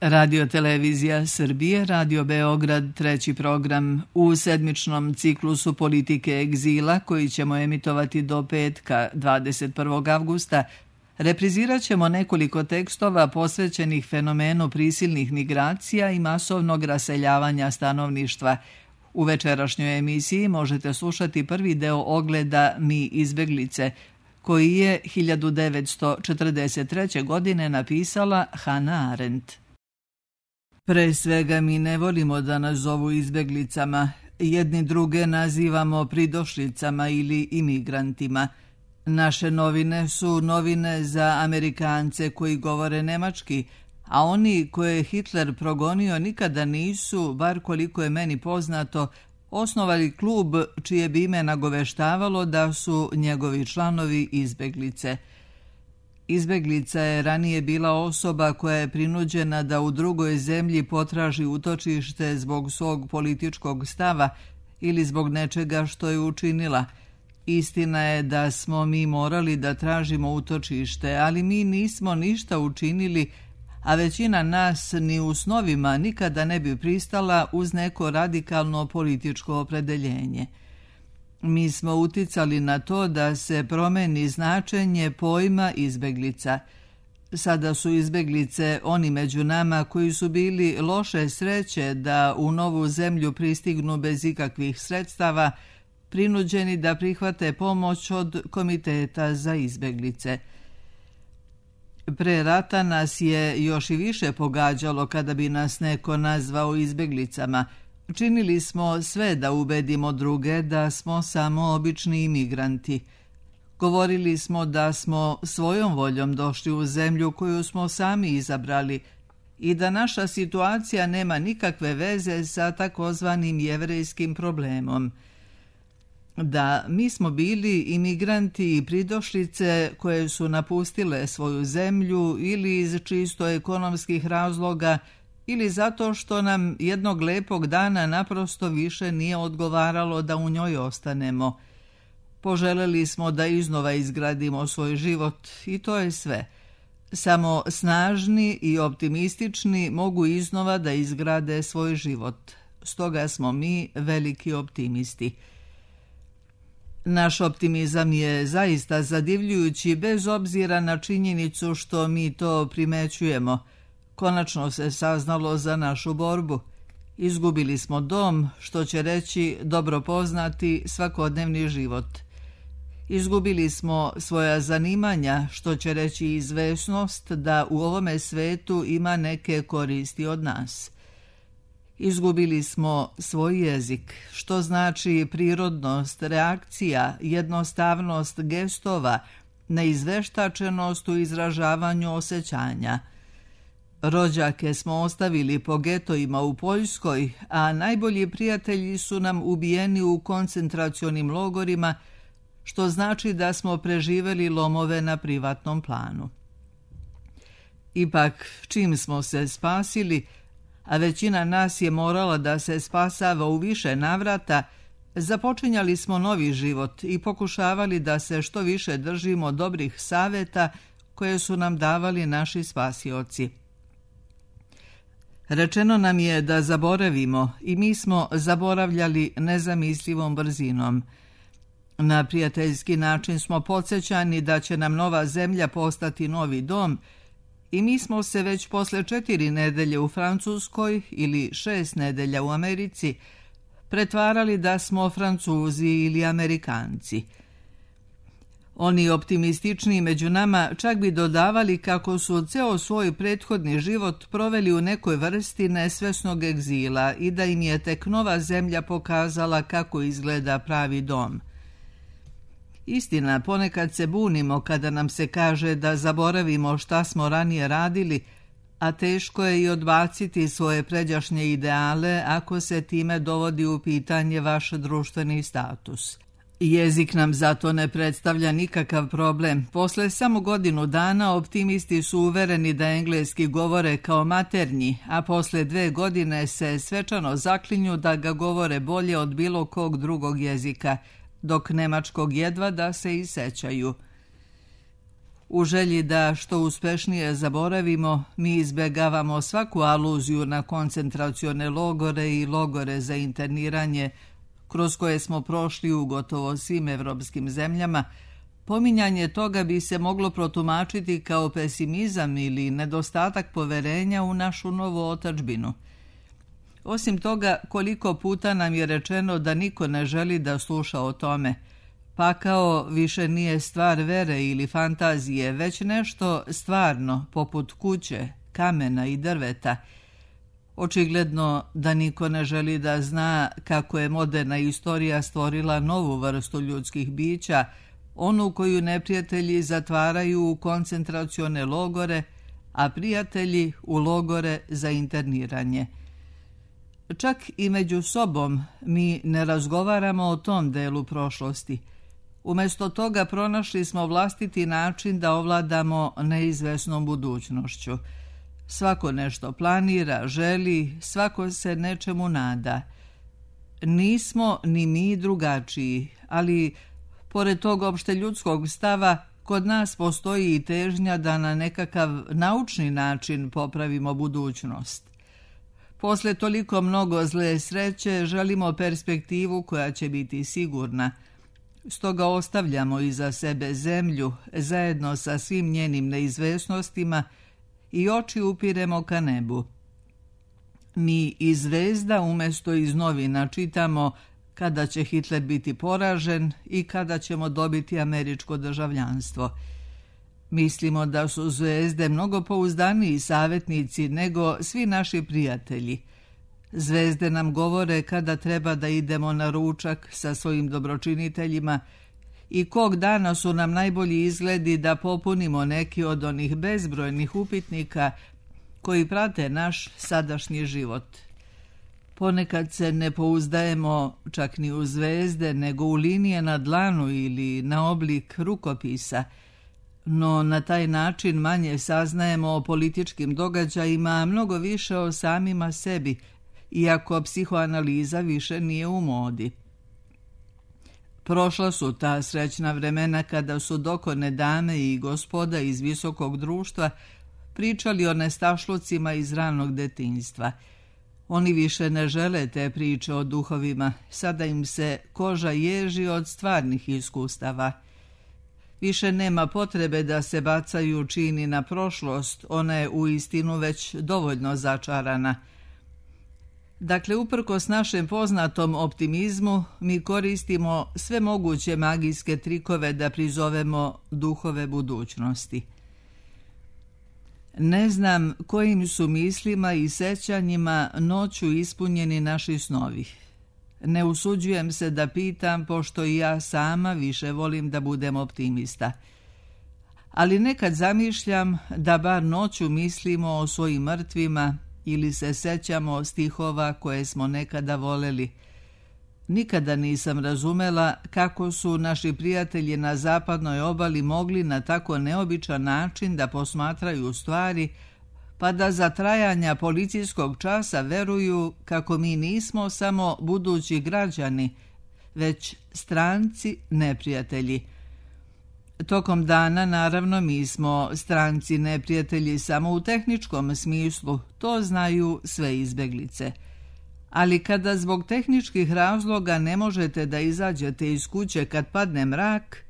Radio Televizija Srbije, Radio Beograd, treći program u sedmičnom ciklusu politike egzila koji ćemo emitovati do petka 21. avgusta. Reprizirat ćemo nekoliko tekstova posvećenih fenomenu prisilnih migracija i masovnog raseljavanja stanovništva. U večerašnjoj emisiji možete slušati prvi deo ogleda Mi izbeglice, koji je 1943. godine napisala Hannah Arendt. Pre svega mi ne volimo da nas zovu izbeglicama, jedni druge nazivamo pridošlicama ili imigrantima. Naše novine su novine za Amerikance koji govore nemački, a oni koje je Hitler progonio nikada nisu, bar koliko je meni poznato, osnovali klub čije bi ime nagoveštavalo da su njegovi članovi izbeglice. Izbeglica je ranije bila osoba koja je prinuđena da u drugoj zemlji potraži utočište zbog svog političkog stava ili zbog nečega što je učinila. Istina je da smo mi morali da tražimo utočište, ali mi nismo ništa učinili, a većina nas ni u snovima nikada ne bi pristala uz neko radikalno političko opredeljenje. Mi smo uticali na to da se promeni značenje pojma izbeglica. Sada su izbeglice oni među nama koji su bili loše sreće da u novu zemlju pristignu bez ikakvih sredstava, prinuđeni da prihvate pomoć od Komiteta za izbeglice. Pre rata nas je još i više pogađalo kada bi nas neko nazvao izbeglicama. Činili smo sve da ubedimo druge da smo samo obični imigranti. Govorili smo da smo svojom voljom došli u zemlju koju smo sami izabrali i da naša situacija nema nikakve veze sa takozvanim jevrejskim problemom. Da, mi smo bili imigranti i pridošlice koje su napustile svoju zemlju ili iz čisto ekonomskih razloga ili zato što nam jednog lepog dana naprosto više nije odgovaralo da u njoj ostanemo. Poželeli smo da iznova izgradimo svoj život i to je sve. Samo snažni i optimistični mogu iznova da izgrade svoj život. Stoga smo mi veliki optimisti. Naš optimizam je zaista zadivljujući bez obzira na činjenicu što mi to primećujemo. Konačno se saznalo za našu borbu. Izgubili smo dom, što će reći dobro poznati svakodnevni život. Izgubili smo svoja zanimanja, što će reći izvesnost da u ovome svetu ima neke koristi od nas. Izgubili smo svoj jezik, što znači prirodnost, reakcija, jednostavnost gestova, neizveštačenost u izražavanju osjećanja. Rođake smo ostavili po getojima u Poljskoj, a najbolji prijatelji su nam ubijeni u koncentracionim logorima, što znači da smo preživeli lomove na privatnom planu. Ipak, čim smo se spasili, a većina nas je morala da se spasava u više navrata, započinjali smo novi život i pokušavali da se što više držimo dobrih saveta koje su nam davali naši spasioci. Rečeno nam je da zaboravimo i mi smo zaboravljali nezamislivom brzinom. Na prijateljski način smo podsjećani da će nam nova zemlja postati novi dom i mi smo se već posle 4 nedelje u Francuskoj ili 6 nedelja u Americi pretvarali da smo Francuzi ili Amerikanci. Oni optimistični među nama čak bi dodavali kako su ceo svoj prethodni život proveli u nekoj vrsti nesvesnog egzila i da im je tek nova zemlja pokazala kako izgleda pravi dom. Istina, ponekad se bunimo kada nam se kaže da zaboravimo šta smo ranije radili, a teško je i odbaciti svoje pređašnje ideale ako se time dovodi u pitanje vaš društveni status. Jezik nam zato ne predstavlja nikakav problem. Posle samo godinu dana optimisti su uvereni da engleski govore kao maternji, a posle 2 godine se svečano zaklinju da ga govore bolje od bilo kog drugog jezika, dok nemačkog jedva da se i sećaju. U želji da što uspešnije zaboravimo, mi izbjegavamo svaku aluziju na koncentracione logore i logore za interniranje, kroz koje smo prošli u gotovo svim evropskim zemljama. Pominjanje toga bi se moglo protumačiti kao pesimizam ili nedostatak poverenja u našu novu otadžbinu. Osim toga, koliko puta nam je rečeno da niko ne želi da sluša o tome. Pakao više nije stvar vere ili fantazije, već nešto stvarno, poput kuće, kamena i drveta. Očigledno da niko ne želi da zna kako je moderna istorija stvorila novu vrstu ljudskih bića, onu koju neprijatelji zatvaraju u koncentracione logore, a prijatelji u logore za interniranje. Čak i među sobom mi ne razgovaramo o tom delu prošlosti. Umjesto toga pronašli smo vlastiti način da ovladamo neizvesnom budućnošću. Svako nešto planira, želi, svako se nečemu nada. Nismo ni mi drugačiji, ali pored tog opšte ljudskog stava, kod nas postoji i težnja da na nekakav naučni način popravimo budućnost. Posle toliko mnogo zle sreće želimo perspektivu koja će biti sigurna. Stoga ostavljamo iza sebe zemlju zajedno sa svim njenim neizvesnostima i oči upiremo ka nebu. Mi iz zvezda umjesto iz novina čitamo kada će Hitler biti poražen i kada ćemo dobiti američko državljanstvo. Mislimo da su zvezde mnogo pouzdaniji savjetnici nego svi naši prijatelji. Zvezde nam govore kada treba da idemo na ručak sa svojim dobročiniteljima i kog dana su nam najbolji izgledi da popunimo neki od onih bezbrojnih upitnika koji prate naš sadašnji život. Ponekad se ne pouzdajemo čak ni u zvezde, nego u linije na dlanu ili na oblik rukopisa, no na taj način manje saznajemo o političkim događajima, a mnogo više o samima sebi, iako psihoanaliza više nije u modi. Prošla su ta srećna vremena kada su dokone dame i gospoda iz visokog društva pričali o nestašlucima iz ranog detinjstva. Oni više ne žele te priče o duhovima, sada im se koža ježi od stvarnih iskustava. Više nema potrebe da se bacaju čini na prošlost, ona je uistinu već dovoljno začarana. Dakle, uprkos našem poznatom optimizmu, mi koristimo sve moguće magijske trikove da prizovemo duhove budućnosti. Ne znam kojim su mislima i sećanjima noću ispunjeni naši snovi. Ne usuđujem se da pitam, pošto i ja sama više volim da budem optimista. Ali nekad zamišljam da bar noću mislimo o svojim mrtvima ili se sećamo stihova koje smo nekada voleli. Nikada nisam razumela kako su naši prijatelji na zapadnoj obali mogli na tako neobičan način da posmatraju stvari, pa da za trajanja policijskog časa veruju kako mi nismo samo budući građani, već stranci neprijatelji. Tokom dana, naravno, mi smo stranci neprijatelji samo u tehničkom smislu, to znaju sve izbeglice. Ali kada zbog tehničkih razloga ne možete da izađete iz kuće kad padne mrak,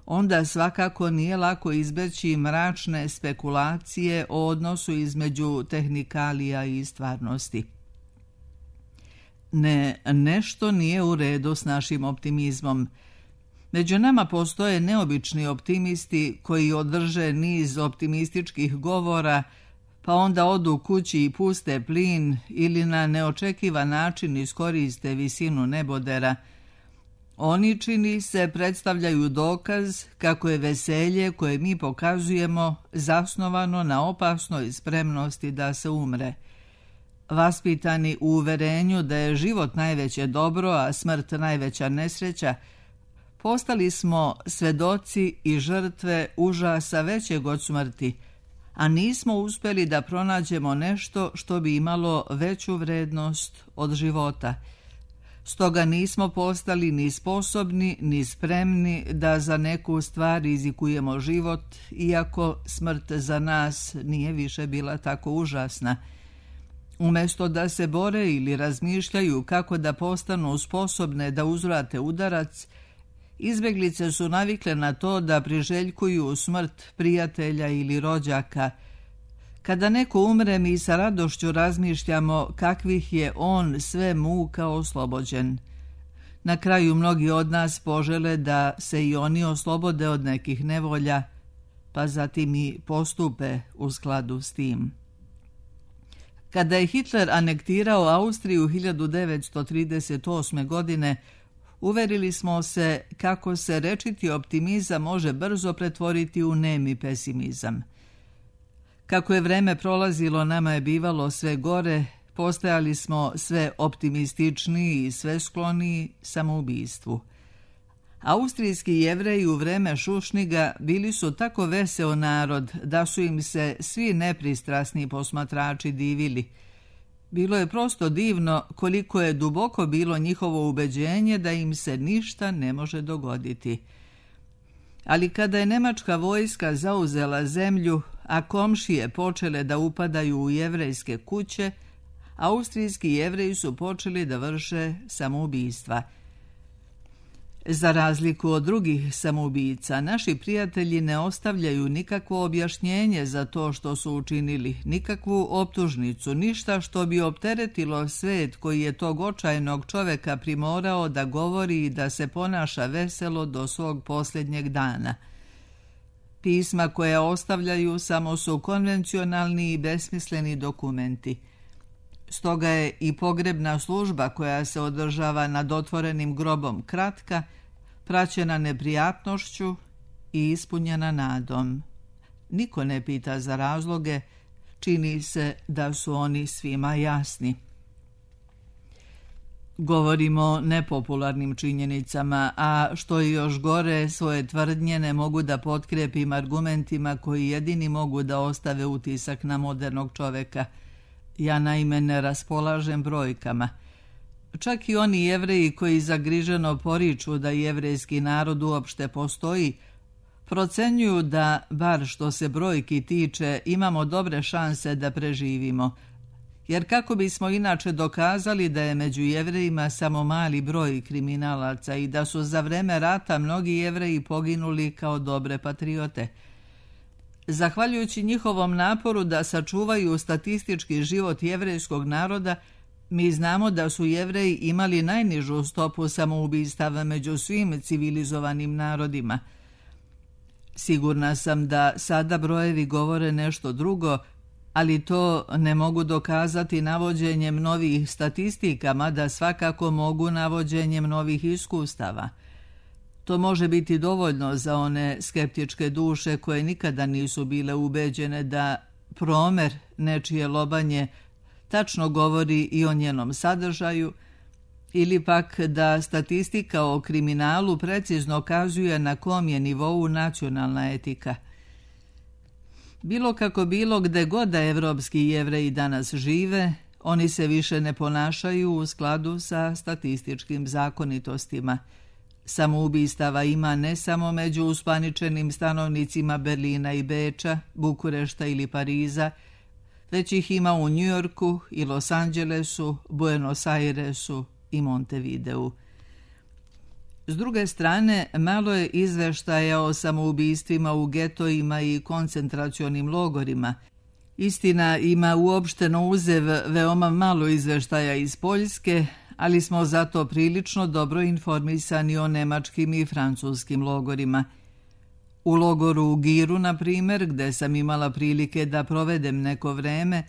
onda svakako nije lako izbeći mračne spekulacije o odnosu između tehnikalija i stvarnosti. Nešto nije u redu s našim optimizmom. Među nama postoje neobični optimisti koji održe niz optimističkih govora, pa onda odu kući i puste plin ili na neočekivan način iskoriste visinu nebodera. Oni, čini se, predstavljaju dokaz kako je veselje koje mi pokazujemo zasnovano na opasnoj spremnosti da se umre. Vaspitani u uverenju da je život najveće dobro, a smrt najveća nesreća, postali smo svedoci i žrtve užasa većeg od smrti, a nismo uspjeli da pronađemo nešto što bi imalo veću vrednost od života. Stoga nismo postali ni sposobni, ni spremni da za neku stvar rizikujemo život, iako smrt za nas nije više bila tako užasna. Umjesto da se bore ili razmišljaju kako da postanu sposobne da uzvrate udarac, izbjeglice su navikle na to da priželjkuju smrt prijatelja ili rođaka. Kada neko umre, mi sa radošću razmišljamo kakvih je on sve muka oslobođen. Na kraju mnogi od nas požele da se i oni oslobode od nekih nevolja, pa zatim i postupe u skladu s tim. Kada je Hitler anektirao Austriju 1938. godine, uverili smo se kako se rečiti optimizam može brzo pretvoriti u nemi pesimizam. Kako je vreme prolazilo, nama je bivalo sve gore, postajali smo sve optimističniji i sve skloniji samoubistvu. Austrijski Jevreji u vreme Šušniga bili su tako veseo narod da su im se svi nepristrasni posmatrači divili. Bilo je prosto divno koliko je duboko bilo njihovo ubeđenje da im se ništa ne može dogoditi. Ali kada je nemačka vojska zauzela zemlju, a komšije počele da upadaju u jevrejske kuće, austrijski Jevreji su počeli da vrše samoubistva. Za razliku od drugih samoubica, naši prijatelji ne ostavljaju nikakvo objašnjenje za to što su učinili, nikakvu optužnicu, ništa što bi opteretilo svet koji je tog očajnog čoveka primorao da govori i da se ponaša veselo do svog posljednjeg dana. Pisma koja ostavljaju samo su konvencionalni i besmisleni dokumenti. Stoga je i pogrebna služba koja se održava nad otvorenim grobom kratka, praćena neprijatnošću i ispunjena nadom. Niko ne pita za razloge, čini se da su oni svima jasni. Govorimo o nepopularnim činjenicama, a što je još gore, svoje tvrdnje ne mogu da potkrepim argumentima koji jedini mogu da ostave utisak na modernog čoveka. Ja naime ne raspolažem brojkama. Čak i oni Jevreji koji zagriženo poriču da jevrejski narod uopšte postoji, procenjuju da, bar što se brojki tiče, imamo dobre šanse da preživimo. Jer kako bismo inače dokazali da je među Jevrejima samo mali broj kriminalaca i da su za vreme rata mnogi Jevreji poginuli kao dobre patriote? Zahvaljujući njihovom naporu da sačuvaju statistički život jevrejskog naroda, mi znamo da su Jevreji imali najnižu stopu samoubistava među svim civilizovanim narodima. Sigurna sam da sada brojevi govore nešto drugo, ali to ne mogu dokazati navođenjem novih statistika, mada svakako mogu navođenjem novih iskustava. To može biti dovoljno za one skeptičke duše koje nikada nisu bile ubeđene da promer nečije lobanje tačno govori i o njenom sadržaju, ili pak da statistika o kriminalu precizno kazuje na kom je nivou nacionalna etika. Bilo kako bilo, gde god da evropski Jevreji danas žive, oni se više ne ponašaju u skladu sa statističkim zakonitostima. Samoubistava ima ne samo među uspaničenim stanovnicima Berlina i Beča, Bukurešta ili Pariza, već ih ima u Njujorku i Los Angelesu, Buenos Airesu i Montevideu. S druge strane, malo je izveštaja o samoubistvima u getojima i koncentracionim logorima. Istina, ima uopšteno uzev veoma malo izveštaja iz Poljske, ali smo zato prilično dobro informisani o nemačkim i francuskim logorima. U logoru u Giru, na primjer, gde sam imala prilike da provedem neko vreme,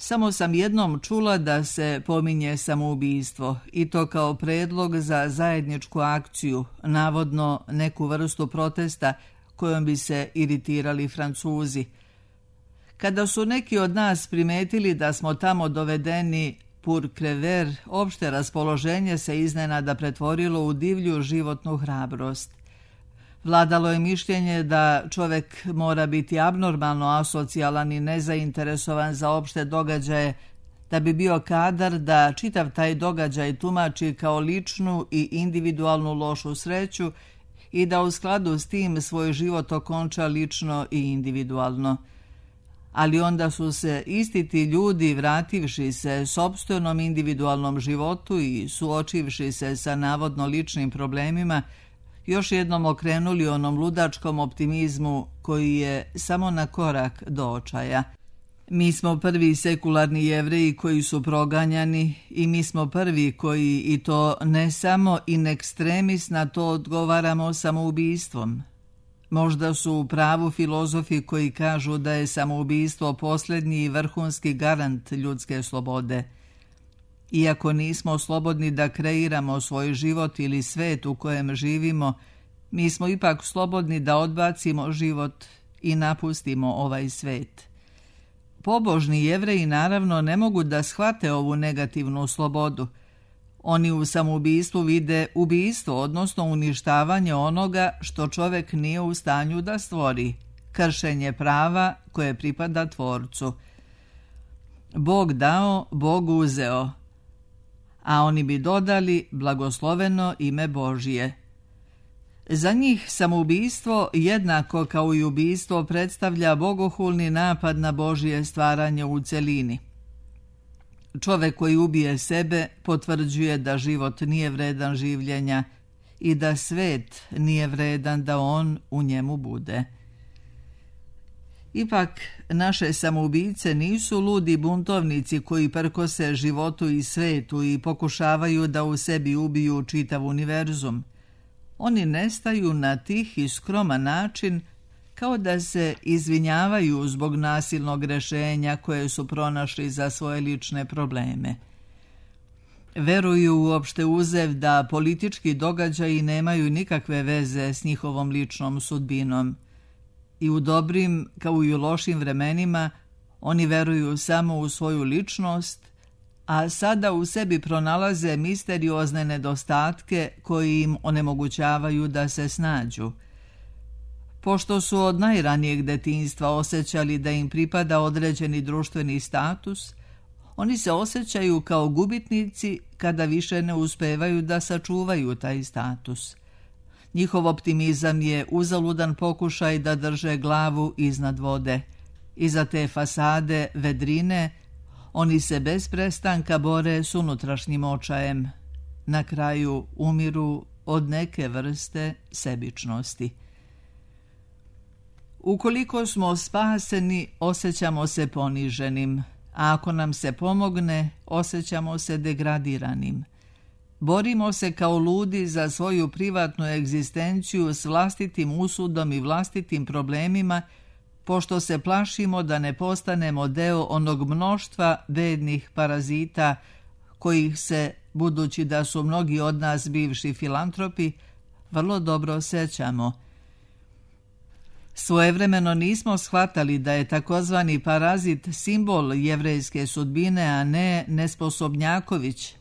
samo sam jednom čula da se pominje samoubistvo, i to kao predlog za zajedničku akciju, navodno neku vrstu protesta kojom bi se iritirali Francuzi. Kada su neki od nas primetili da smo tamo dovedeni pour crever, opšte raspoloženje se iznenada pretvorilo u divlju životnu hrabrost. Vladalo je mišljenje da čovek mora biti abnormalno asocijalan i nezainteresovan za opšte događaje, da bi bio kadar da čitav taj događaj tumači kao ličnu i individualnu lošu sreću i da u skladu s tim svoj život okonča lično i individualno. Ali onda su se isti ti ljudi, vrativši se sopstvenom individualnom životu i suočivši se sa navodno ličnim problemima, još jednom okrenuli onom ludačkom optimizmu koji je samo na korak do očaja. Mi smo prvi sekularni Jevreji koji su proganjani i mi smo prvi koji, i to ne samo in extremis, na to odgovaramo samoubistvom. Možda su u pravu filozofi koji kažu da je samoubistvo posljednji i vrhunski garant ljudske slobode. Iako nismo slobodni da kreiramo svoj život ili svet u kojem živimo, mi smo ipak slobodni da odbacimo život i napustimo ovaj svet. Pobožni Jevreji naravno ne mogu da shvate ovu negativnu slobodu. Oni u samoubistvu vide ubistvo, odnosno uništavanje onoga što čovjek nije u stanju da stvori, kršenje prava koje pripada Tvorcu. Bog dao, Bog uzeo, a oni bi dodali blagosloveno ime Božje. Za njih samoubistvo, jednako kao i ubistvo, predstavlja bogohulni napad na Božje stvaranje u celini. Čovjek koji ubije sebe potvrđuje da život nije vredan življenja i da svet nije vredan da on u njemu bude. Ipak, naše samoubice nisu ludi buntovnici koji prkose životu i svetu i pokušavaju da u sebi ubiju čitav univerzum. Oni nestaju na tih i skroman način, kao da se izvinjavaju zbog nasilnog rješenja koje su pronašli za svoje lične probleme. Veruju uopšte uzev da politički događaji nemaju nikakve veze s njihovom ličnom sudbinom. I u dobrim kao i u lošim vremenima oni veruju samo u svoju ličnost, a sada u sebi pronalaze misteriozne nedostatke koji im onemogućavaju da se snađu. Pošto su od najranijeg detinjstva osjećali da im pripada određeni društveni status, oni se osjećaju kao gubitnici kada više ne uspevaju da sačuvaju taj status. Njihov optimizam je uzaludan pokušaj da drže glavu iznad vode. Iza te fasade vedrine oni se bez prestanka bore s unutrašnjim očajem. Na kraju umiru od neke vrste sebičnosti. Ukoliko smo spaseni, osjećamo se poniženim, a ako nam se pomogne, osjećamo se degradiranim. Borimo se kao ludi za svoju privatnu egzistenciju s vlastitim usudom i vlastitim problemima, pošto se plašimo da ne postanemo deo onog mnoštva bednih parazita kojih se, budući da su mnogi od nas bivši filantropi, vrlo dobro sećamo. Svojevremeno nismo shvatali da je takozvani parazit simbol jevrejske sudbine, a ne nesposobnjaković,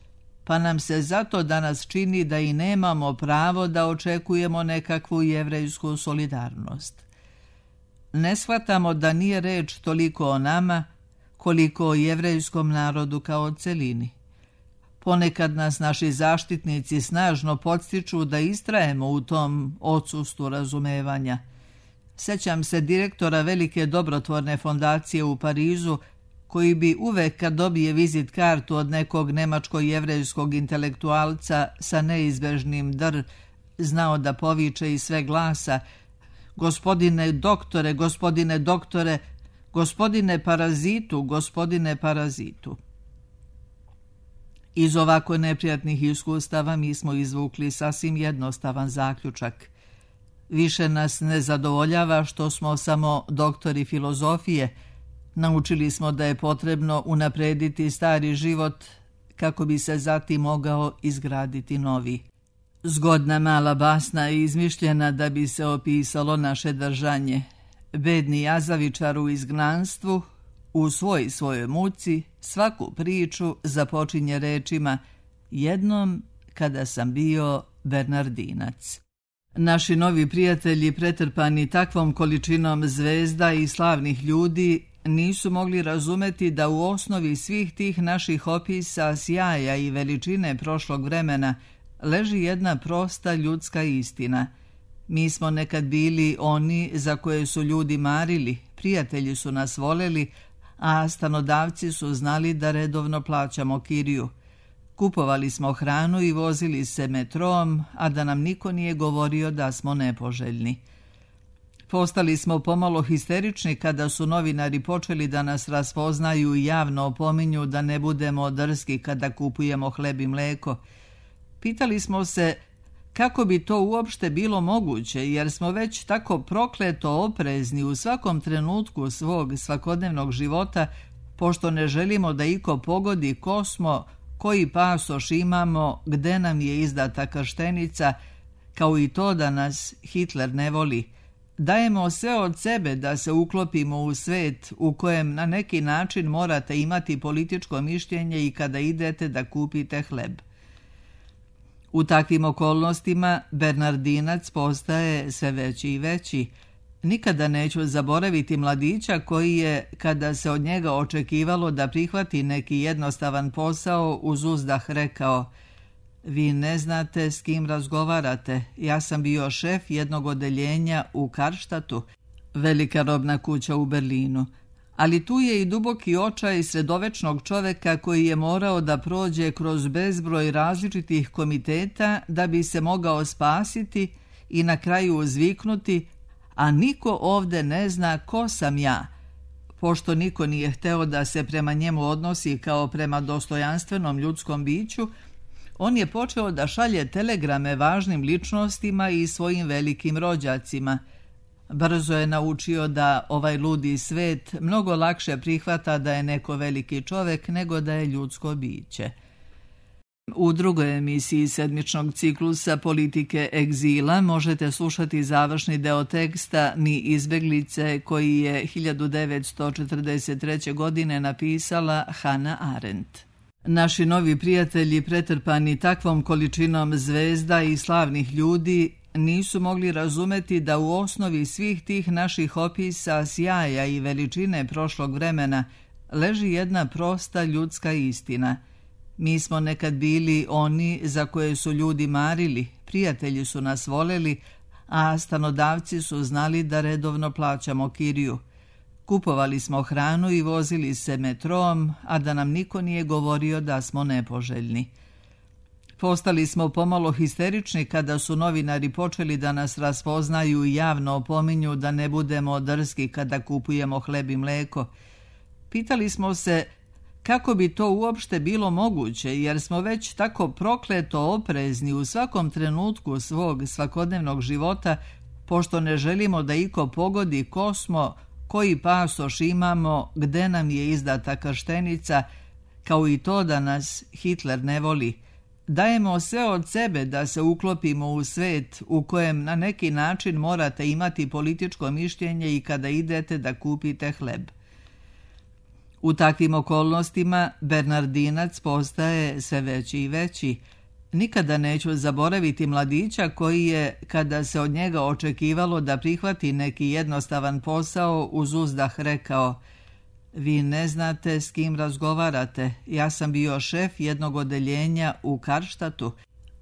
pa nam se zato danas čini da i nemamo pravo da očekujemo nekakvu jevrejsku solidarnost. Ne shvatamo da nije reč toliko o nama, koliko o jevrejskom narodu kao celini. Ponekad nas naši zaštitnici snažno podstiču da istrajemo u tom odsustvu razumevanja. Sećam se direktora velike dobrotvorne fondacije u Parizu, koji bi uvek kad dobije vizit kartu od nekog nemačko-jevrejskog intelektualca sa neizbežnim dr, znao da poviče iz sve glasa: gospodine doktore, gospodine parazitu. Iz ovako neprijatnih iskustava mi smo izvukli sasvim jednostavan zaključak. Više nas ne zadovoljava što smo samo doktori filozofije. Naučili smo da je potrebno unaprediti stari život kako bi se zatim mogao izgraditi novi. Zgodna mala basna je izmišljena da bi se opisalo naše držanje. Bedni jazavičar u izgnanstvu, u svojoj muci, svaku priču započinje rečima: jednom kada sam bio Bernardinac. Naši novi prijatelji, pretrpani takvom količinom zvezda i slavnih ljudi, nisu mogli razumeti da u osnovi svih tih naših opisa sjaja i veličine prošlog vremena leži jedna prosta ljudska istina. Mi smo nekad bili oni za koje su ljudi marili, prijatelji su nas voleli, a stanodavci su znali da redovno plaćamo kiriju. Kupovali smo hranu i vozili se metrom, a da nam niko nije govorio da smo nepoželjni. Postali smo pomalo histerični kada su novinari počeli da nas raspoznaju i javno opominju da ne budemo drski kada kupujemo hleb i mleko. Pitali smo se kako bi to uopšte bilo moguće, jer smo već tako prokleto oprezni u svakom trenutku svog svakodnevnog života, pošto ne želimo da iko pogodi ko smo, koji pasoš imamo, gde nam je izdata krštenica, kao i to da nas Hitler ne voli. Dajemo sve od sebe da se uklopimo u svet u kojem na neki način morate imati političko mišljenje i kada idete da kupite hleb. U takvim okolnostima Bernardinac postaje sve veći i veći. Nikada neću zaboraviti mladića koji je, kada se od njega očekivalo da prihvati neki jednostavan posao, uz uzdah rekao: "Vi ne znate s kim razgovarate, ja sam bio šef jednog odeljenja u Karštatu, velika robna kuća u Berlinu. Ali tu je i duboki očaj sredovečnog čoveka koji je morao da prođe kroz bezbroj različitih komiteta da bi se mogao spasiti i na kraju uzviknuti: a niko ovde ne zna ko sam ja." Pošto niko nije hteo da se prema njemu odnosi kao prema dostojanstvenom ljudskom biću, on je počeo da šalje telegrame važnim ličnostima i svojim velikim rođacima. Brzo je naučio da ovaj ludi svet mnogo lakše prihvata da je neko veliki čovek nego da je ljudsko biće. U drugoj emisiji sedmičnog ciklusa Politike egzila možete slušati završni deo teksta Mi izbeglice koji je 1943. godine napisala Hannah Arendt. Naši novi prijatelji, pretrpani takvom količinom zvezda i slavnih ljudi, nisu mogli razumeti da u osnovi svih tih naših opisa sjaja i veličine prošlog vremena leži jedna prosta ljudska istina. Mi smo nekad bili oni za koje su ljudi marili, prijatelji su nas voleli, a stanodavci su znali da redovno plaćamo kiriju. Kupovali smo hranu i vozili se metrom, a da nam niko nije govorio da smo nepoželjni. Postali smo pomalo histerični kada su novinari počeli da nas raspoznaju i javno opominju da ne budemo drski kada kupujemo hleb i mleko. Pitali smo se kako bi to uopšte bilo moguće, jer smo već tako prokleto oprezni u svakom trenutku svog svakodnevnog života, pošto ne želimo da iko pogodi ko smo, koji pasoš imamo, gde nam je izdata krštenica, kao i to da nas Hitler ne voli. Dajemo sve od sebe da se uklopimo u svet u kojem na neki način morate imati političko mišljenje i kada idete da kupite hleb. U takvim okolnostima Bernardinac postaje sve veći i veći. Nikada neću zaboraviti mladića koji je, kada se od njega očekivalo da prihvati neki jednostavan posao, uz uzdah rekao: "Vi ne znate s kim razgovarate, ja sam bio šef jednog odeljenja u Karštatu,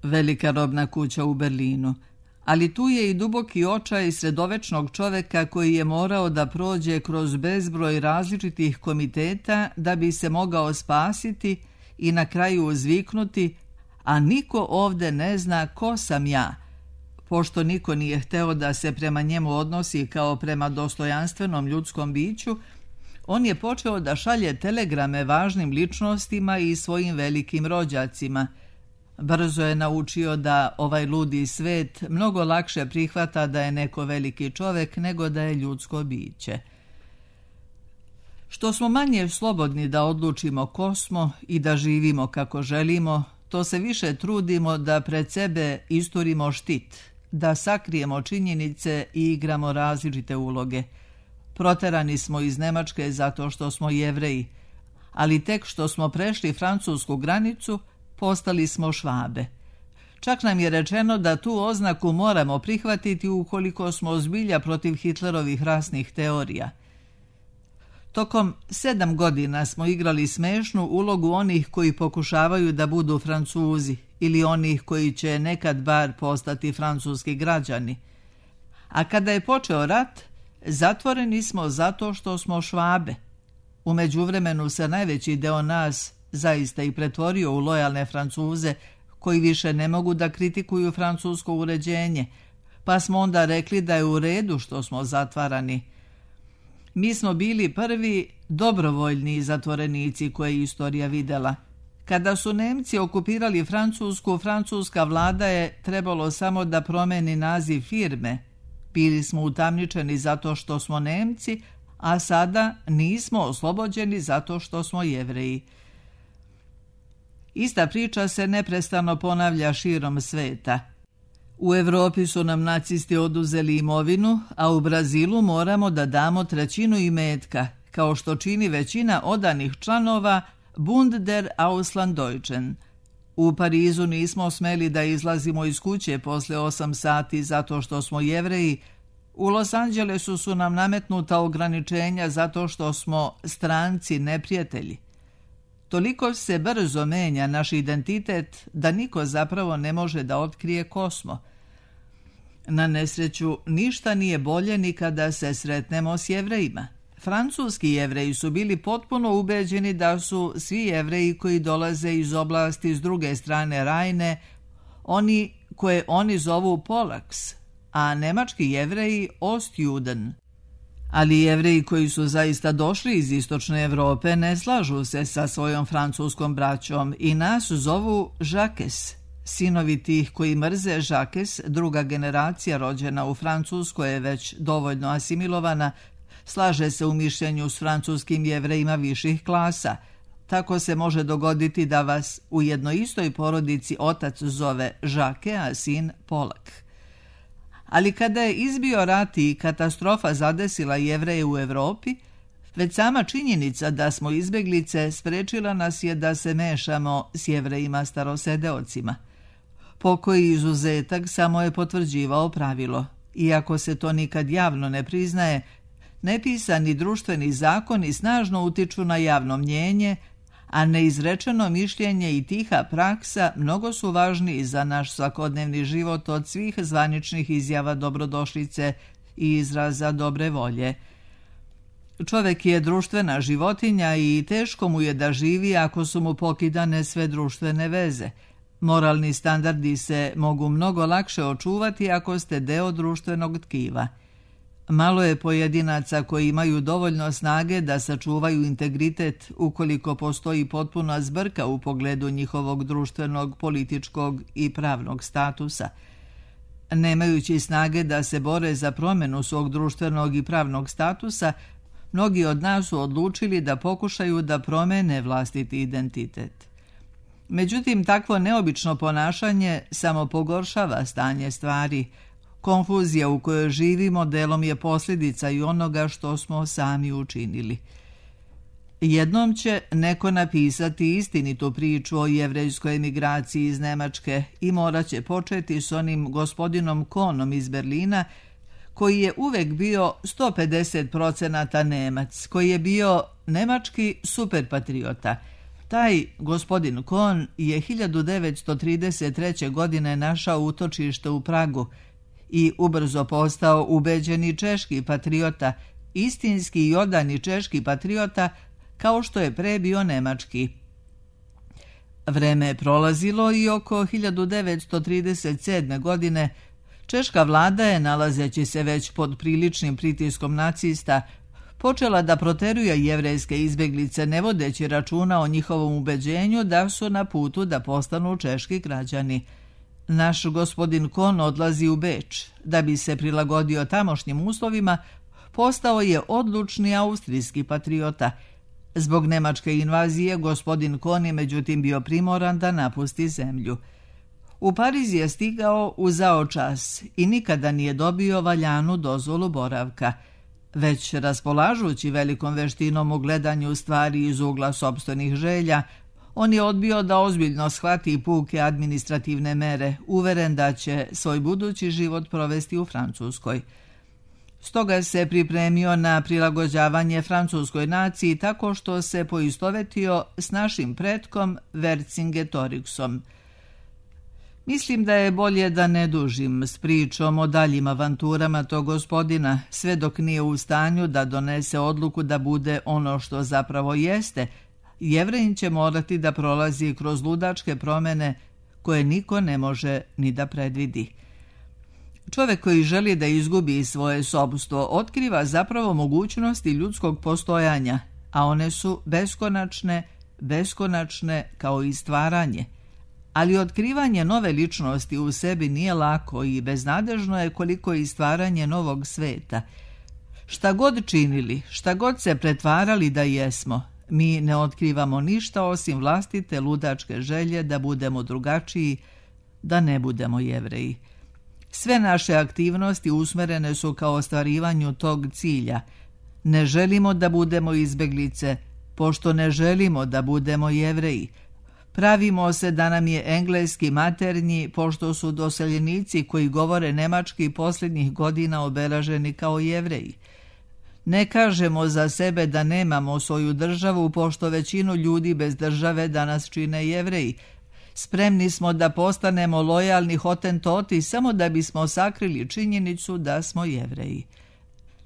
velika robna kuća u Berlinu." Ali tu je i duboki očaj sredovečnog čoveka koji je morao da prođe kroz bezbroj različitih komiteta da bi se mogao spasiti i na kraju uzviknuti: "a niko ovde ne zna ko sam ja." Pošto niko nije hteo da se prema njemu odnosi kao prema dostojanstvenom ljudskom biću, on je počeo da šalje telegrame važnim ličnostima i svojim velikim rođacima. Brzo je naučio da ovaj ludi svet mnogo lakše prihvata da je neko veliki čovek nego da je ljudsko biće. Što smo manje slobodni da odlučimo ko smo i da živimo kako želimo, to se više trudimo da pred sebe isturimo štit, da sakrijemo činjenice i igramo različite uloge. Proterani smo iz Nemačke zato što smo Jevreji, ali tek što smo prešli francusku granicu, postali smo Švabe. Čak nam je rečeno da tu oznaku moramo prihvatiti ukoliko smo zbilja protiv Hitlerovih rasnih teorija. Tokom 7 godina smo igrali smešnu ulogu onih koji pokušavaju da budu Francuzi ili onih koji će nekad bar postati francuski građani. A kada je počeo rat, zatvoreni smo zato što smo Švabe. U međuvremenu se najveći deo nas zaista i pretvorio u lojalne Francuze koji više ne mogu da kritikuju francusko uređenje, pa smo onda rekli da je u redu što smo zatvarani. Mi smo bili prvi dobrovoljni zatvorenici koje je istorija videla. Kada su Nemci okupirali Francusku, francuska vlada je trebalo samo da promeni naziv firme. Bili smo utamničeni zato što smo Nemci, a sada nismo oslobođeni zato što smo Jevreji. Ista priča se neprestano ponavlja širom sveta. U Evropi su nam nacisti oduzeli imovinu, a u Brazilu moramo da damo 1/3 imetka, kao što čini većina odanih članova Bund der Auslanddeutschen. U Parizu nismo smeli da izlazimo iz kuće posle 8 sati zato što smo Jevreji. U Los Angelesu su nam nametnuta ograničenja zato što smo stranci neprijatelji. Toliko se brzo menja naš identitet da niko zapravo ne može da otkrije ko smo. Na nesreću, ništa nije bolje ni kada se sretnemo s Jevrejima. Francuski Jevreji su bili potpuno ubeđeni da su svi Jevreji koji dolaze iz oblasti s druge strane Rajne, oni koje oni zovu Polaks, a nemački Jevreji Ostjuden. Ali Jevreji koji su zaista došli iz istočne Evrope ne slažu se sa svojom francuskom braćom i nas zovu Žakes. Sinovi tih koji mrze Žakes, druga generacija rođena u Francuskoj je već dovoljno asimilovana, slaže se u mišljenju s francuskim Jevrejima viših klasa. Tako se može dogoditi da vas u jednoj istoj porodici otac zove Žake, a sin Polak. Ali kada je izbio rat i katastrofa zadesila Jevreje u Evropi, već sama činjenica da smo izbeglice sprečila nas je da se mešamo s Jevrejima starosedeocima. Pokoji izuzetak samo je potvrđivao pravilo. Iako se to nikad javno ne priznaje, nepisani društveni zakoni snažno utiču na javno mnjenje, a neizrečeno mišljenje i tiha praksa mnogo su važniji za naš svakodnevni život od svih zvaničnih izjava dobrodošlice i izraza dobre volje. Čovek je društvena životinja i teško mu je da živi ako su mu pokidane sve društvene veze. Moralni standardi se mogu mnogo lakše očuvati ako ste deo društvenog tkiva. Malo je pojedinaca koji imaju dovoljno snage da sačuvaju integritet ukoliko postoji potpuna zbrka u pogledu njihovog društvenog, političkog i pravnog statusa. Nemajući snage da se bore za promjenu svog društvenog i pravnog statusa, mnogi od nas su odlučili da pokušaju da promene vlastiti identitet. Međutim, takvo neobično ponašanje samo pogoršava stanje stvari. Konfuzija u kojoj živimo delom je posljedica i onoga što smo sami učinili. Jednom će neko napisati istinitu priču o jevrejskoj emigraciji iz Nemačke i morat će početi s onim gospodinom Kohnom iz Berlina, koji je uvek bio 150% Nemac, koji je bio nemački superpatriota. Taj gospodin Kohn je 1933. godine našao utočište u Pragu i ubrzo postao ubeđeni češki patriota, istinski i odani češki patriota, kao što je pre bio nemački. Vreme je prolazilo i oko 1937. godine češka vlada je, nalazeći se već pod priličnim pritiskom nacista, počela da proteruje jevrejske izbeglice, ne vodeći računa o njihovom ubeđenju da su na putu da postanu češki građani. Naš gospodin Kohn odlazi u Beč. Da bi se prilagodio tamošnjim uslovima, postao je odlučni austrijski patriota. Zbog nemačke invazije, gospodin Kohn je međutim bio primoran da napusti zemlju. U Pariz je stigao u zao čas i nikada nije dobio valjanu dozvolu boravka. Već raspolažući velikom veštinom u gledanju stvari iz ugla sopstvenih želja, on je odbio da ozbiljno shvati puke administrativne mere, uveren da će svoj budući život provesti u Francuskoj. Stoga se pripremio na prilagođavanje francuskoj naciji tako što se poistovetio s našim pretkom Vercingetorixom. Mislim da je bolje da ne dužim s pričom o daljim avanturama tog gospodina, sve dok nije u stanju da donese odluku da bude ono što zapravo jeste. Jevrejin će morati da prolazi kroz ludačke promjene koje niko ne može ni da predvidi. Čovjek koji želi da izgubi svoje sobstvo otkriva zapravo mogućnosti ljudskog postojanja, a one su beskonačne kao i stvaranje. Ali otkrivanje nove ličnosti u sebi nije lako i beznadežno je koliko i stvaranje novog sveta. Šta god činili, šta god se pretvarali da jesmo, mi ne otkrivamo ništa osim vlastite ludačke želje da budemo drugačiji, da ne budemo Jevreji. Sve naše aktivnosti usmerene su ka ostvarivanju tog cilja. Ne želimo da budemo izbeglice, pošto ne želimo da budemo Jevreji. Pravimo se da nam je engleski maternji, pošto su doseljenici koji govore nemački posljednjih godina obeleženi kao Jevreji. Ne kažemo za sebe da nemamo svoju državu, pošto većinu ljudi bez države danas čine Jevreji. Spremni smo da postanemo lojalni hotentoti samo da bismo sakrili činjenicu da smo Jevreji.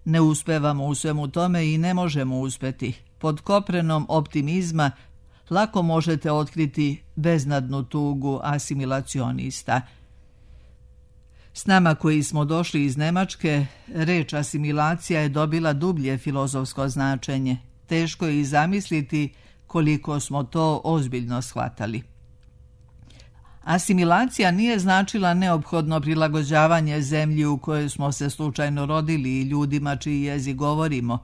Ne uspevamo u svemu tome i ne možemo uspeti. Pod koprenom optimizma lako možete otkriti beznadnu tugu asimilacionista. S nama koji smo došli iz Nemačke, reč asimilacija je dobila dublje filozofsko značenje. Teško je i zamisliti koliko smo to ozbiljno shvatali. Asimilacija nije značila neophodno prilagođavanje zemlji u kojoj smo se slučajno rodili i ljudima čiji jezik govorimo.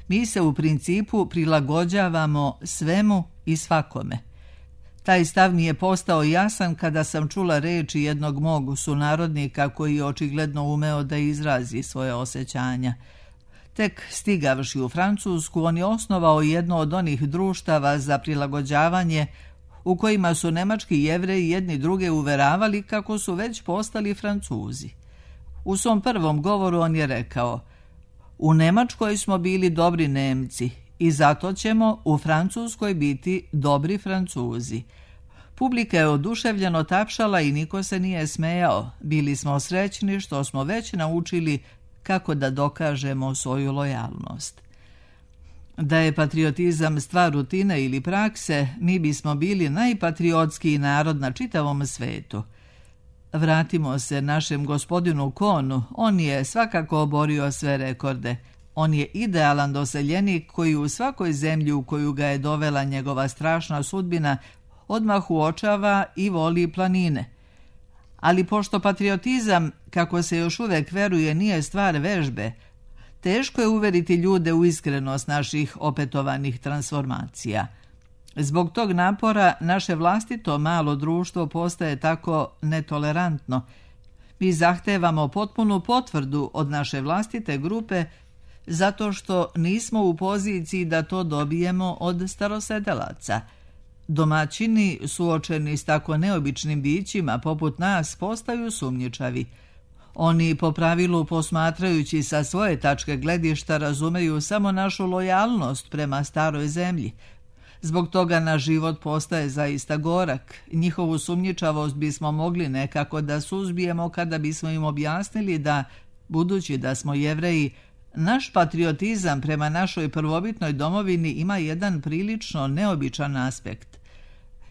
Mi se u principu prilagođavamo svemu i svakome. Taj stav mi je postao jasan kada sam čula reči jednog mog sunarodnika koji je očigledno umeo da izrazi svoje osjećanja. Tek stigavši u Francusku, on je osnovao jedno od onih društava za prilagođavanje u kojima su nemački Jevreji jedni druge uveravali kako su već postali Francuzi. U svom prvom govoru on je rekao: "U Nemačkoj smo bili dobri Nemci i zato ćemo u Francuskoj biti dobri Francuzi." Publika je oduševljeno tapšala i niko se nije smejao. Bili smo srećni što smo već naučili kako da dokažemo svoju lojalnost. Da je patriotizam stvar rutine ili prakse, mi bismo bili najpatriotskiji narod na čitavom svetu. Vratimo se našem gospodinu Konu, on je svakako oborio sve rekorde. On je idealan doseljenik koji u svakoj zemlji u koju ga je dovela njegova strašna sudbina odmah uočava i voli planine. Ali pošto patriotizam, kako se još uvek veruje, nije stvar vežbe, teško je uveriti ljude u iskrenost naših opetovanih transformacija. Zbog tog napora naše vlastito malo društvo postaje tako netolerantno. Mi zahtevamo potpunu potvrdu od naše vlastite grupe zato što nismo u poziciji da to dobijemo od starosedelaca. Domaćini, suočeni s tako neobičnim bićima poput nas, postaju sumnjičavi. Oni po pravilu, posmatrajući sa svoje tačke gledišta, razumeju samo našu lojalnost prema staroj zemlji. Zbog toga naš život postaje zaista gorak. Njihovu sumnjičavost bismo mogli nekako da suzbijemo kada bismo im objasnili da, budući da smo Jevreji, naš patriotizam prema našoj prvobitnoj domovini ima jedan prilično neobičan aspekt.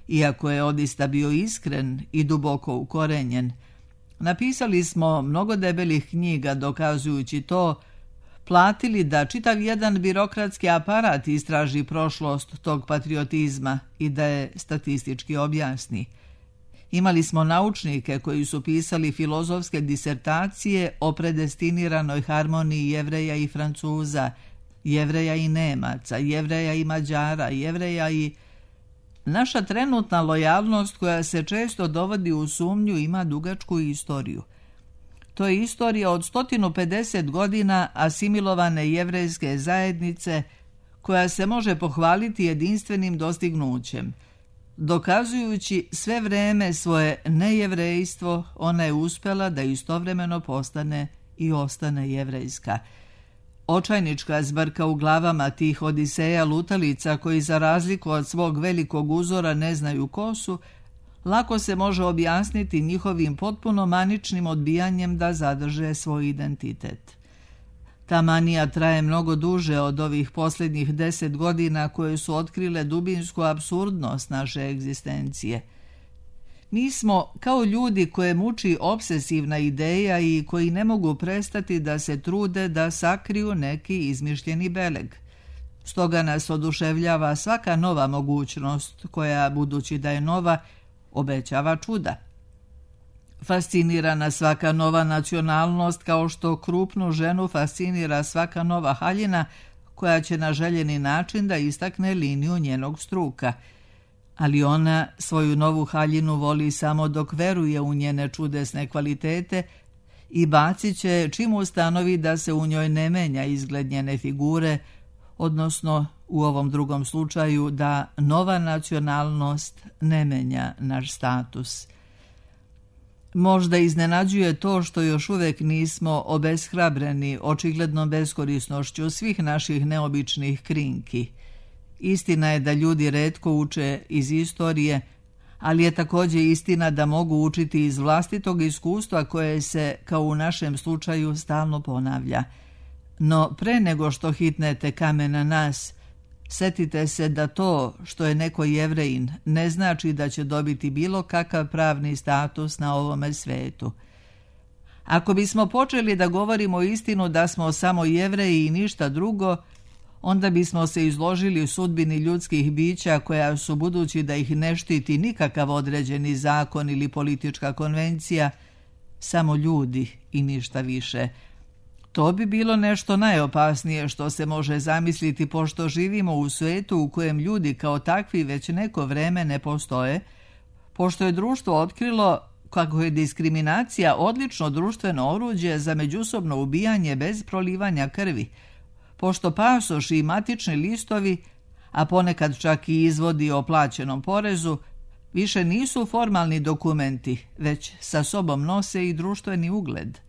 Iako je odista bio iskren i duboko ukorenjen, napisali smo mnogo debelih knjiga dokazujući to, platili da čitav jedan birokratski aparat istraži prošlost tog patriotizma i da je statistički objasni. Imali smo naučnike koji su pisali filozofske disertacije o predestiniranoj harmoniji Jevreja i Francuza, Jevreja i Nemaca, Jevreja i Mađara, Jevreja i... Naša trenutna lojalnost, koja se često dovodi u sumnju, ima dugačku istoriju. To je istorija od 150 godina asimilovane jevrejske zajednice koja se može pohvaliti jedinstvenim dostignućem. Dokazujući sve vreme svoje nejevrejstvo, ona je uspjela da istovremeno postane i ostane jevrejska. Očajnička zbrka u glavama tih odiseja lutalica koji za razliku od svog velikog uzora ne znaju ko su, lako se može objasniti njihovim potpuno maničnim odbijanjem da zadrže svoj identitet. Ta manija traje mnogo duže od ovih posljednjih 10 godina koje su otkrile dubinsku apsurdnost naše egzistencije. Mi smo kao ljudi koje muči obsesivna ideja i koji ne mogu prestati da se trude da sakriju neki izmišljeni beleg. Stoga nas oduševljava svaka nova mogućnost koja, budući da je nova, obećava čuda. Fascinira nas svaka nova nacionalnost kao što krupnu ženu fascinira svaka nova haljina koja će na željeni način da istakne liniju njenog struka. Ali ona svoju novu haljinu voli samo dok veruje u njene čudesne kvalitete i bacit će čim ustanovi da se u njoj ne menja izgled njene figure, odnosno u ovom drugom slučaju da nova nacionalnost ne menja naš status. Možda iznenađuje to što još uvek nismo obeshrabreni očiglednom beskorisnošću svih naših neobičnih krinki. Istina je da ljudi retko uče iz istorije, ali je također istina da mogu učiti iz vlastitog iskustva koje se, kao u našem slučaju, stalno ponavlja. No pre nego što hitnete kamen na nas, setite se da to što je neko Jevrejin ne znači da će dobiti bilo kakav pravni status na ovome svetu. Ako bismo počeli da govorimo istinu da smo samo Jevreji i ništa drugo, onda bismo se izložili sudbini ljudskih bića koja su, budući da ih ne štiti nikakav određeni zakon ili politička konvencija, samo ljudi i ništa više. To bi bilo nešto najopasnije što se može zamisliti, pošto živimo u svijetu u kojem ljudi kao takvi već neko vreme ne postoje, pošto je društvo otkrilo kako je diskriminacija odlično društveno oruđe za međusobno ubijanje bez prolivanja krvi, pošto pasoši i matični listovi, a ponekad čak i izvodi o plaćenom porezu, više nisu formalni dokumenti, već sa sobom nose i društveni ugled.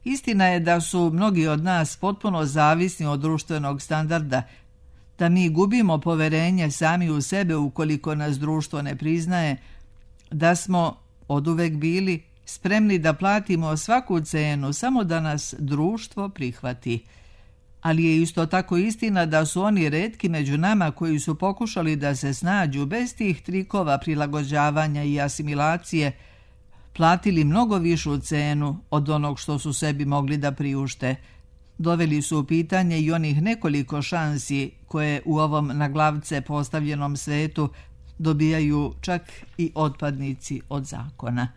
Istina je da su mnogi od nas potpuno zavisni od društvenog standarda, da mi gubimo poverenje sami u sebe ukoliko nas društvo ne priznaje, da smo oduvek bili spremni da platimo svaku cenu samo da nas društvo prihvati. Ali je isto tako istina da su oni retki među nama koji su pokušali da se snađu bez tih trikova prilagođavanja i asimilacije, platili mnogo višu cenu od onog što su sebi mogli da priušte. Doveli su u pitanje i onih nekoliko šansi koje u ovom na glavce postavljenom svetu dobijaju čak i otpadnici od zakona.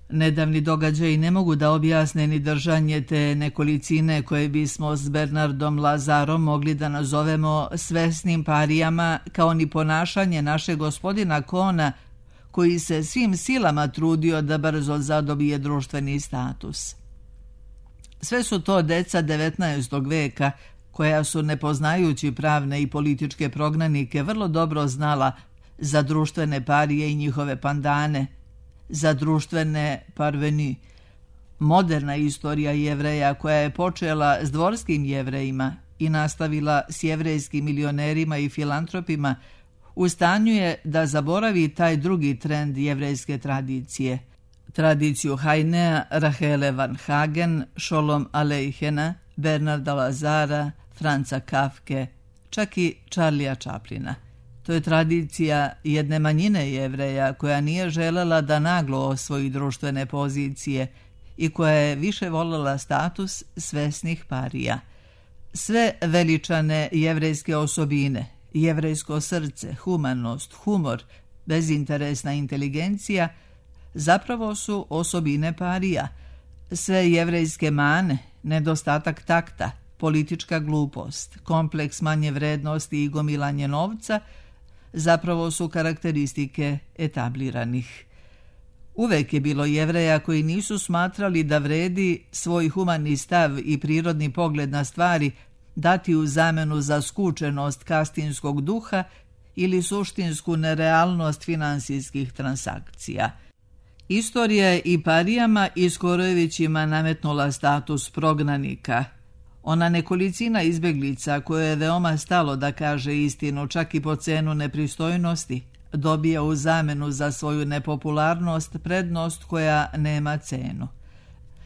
Nedavni događaji ne mogu da objasne ni držanje te nekolicine koje bismo s Bernardom Lazarom mogli da nazovemo svesnim parijama, kao ni ponašanje našeg gospodina Kona, koji se svim silama trudio da brzo zadobije društveni status. Sve su to deca 19. veka, koja su, ne poznajući pravne i političke prognanike, vrlo dobro znala za društvene parije i njihove pandane, za društvene parveni. Moderna istorija Jevreja, koja je počela s dvorskim Jevrejima i nastavila s jevrejskim milionerima i filantropima, u stanju je da zaboravi taj drugi trend jevrejske tradicije. Tradiciju Hajnea, Rahele Van Hagen, Šolom Aleihena, Bernarda Lazara, Franca Kafke, čak i Charlija Chaplina. To je tradicija jedne manjine Jevreja koja nije želela da naglo osvoji društvene pozicije i koja je više voljela status svesnih parija. Sve veličane jevrejske osobine, jevrejsko srce, humanost, humor, bezinteresna inteligencija, zapravo su osobine parija. Sve jevrejske mane, nedostatak takta, politička glupost, kompleks manje vrednosti i gomilanje novca, zapravo su karakteristike etabliranih. Uvek je bilo Jevreja koji nisu smatrali da vredi svoj humani stav i prirodni pogled na stvari dati u zamenu za skučenost kastinskog duha ili suštinsku nerealnost finansijskih transakcija. Istorija je i parijama i Skorojevićima nametnula status prognanika. Ona nekolicina izbjeglica koje je veoma stalo da kaže istinu čak i po cenu nepristojnosti, dobija u zamenu za svoju nepopularnost prednost koja nema cenu.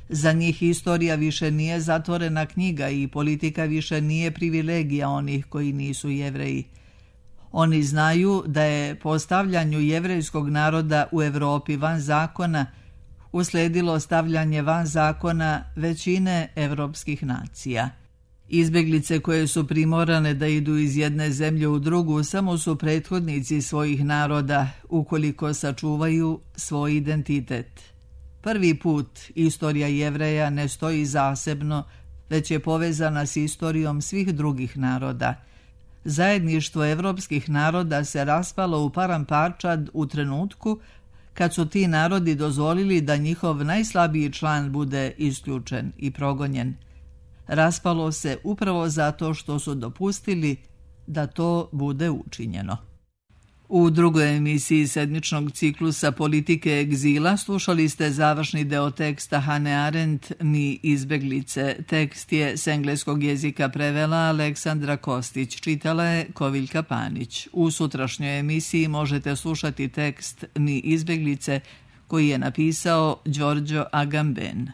Za njih istorija više nije zatvorena knjiga i politika više nije privilegija onih koji nisu Jevreji. Oni znaju da je postavljanju jevrejskog naroda u Europi van zakona usledilo stavljanje van zakona većine evropskih nacija. Izbjeglice koje su primorane da idu iz jedne zemlje u drugu samo su prethodnici svojih naroda ukoliko sačuvaju svoj identitet. Prvi put istorija Jevreja ne stoji zasebno, već je povezana s istorijom svih drugih naroda. Zajedništvo evropskih naroda se raspalo u paramparčad u trenutku kad su ti narodi dozvolili da njihov najslabiji član bude isključen i progonjen. Raspalo se upravo zato što su dopustili da to bude učinjeno. U drugoj emisiji sedmičnog ciklusa Politike egzila slušali ste završni deo teksta Hannah Arendt Mi izbjeglice. Tekst je s engleskog jezika prevela Aleksandra Kostić, čitala je Koviljka Panić. U sutrašnjoj emisiji možete slušati tekst Mi izbjeglice koji je napisao Giorgio Agamben.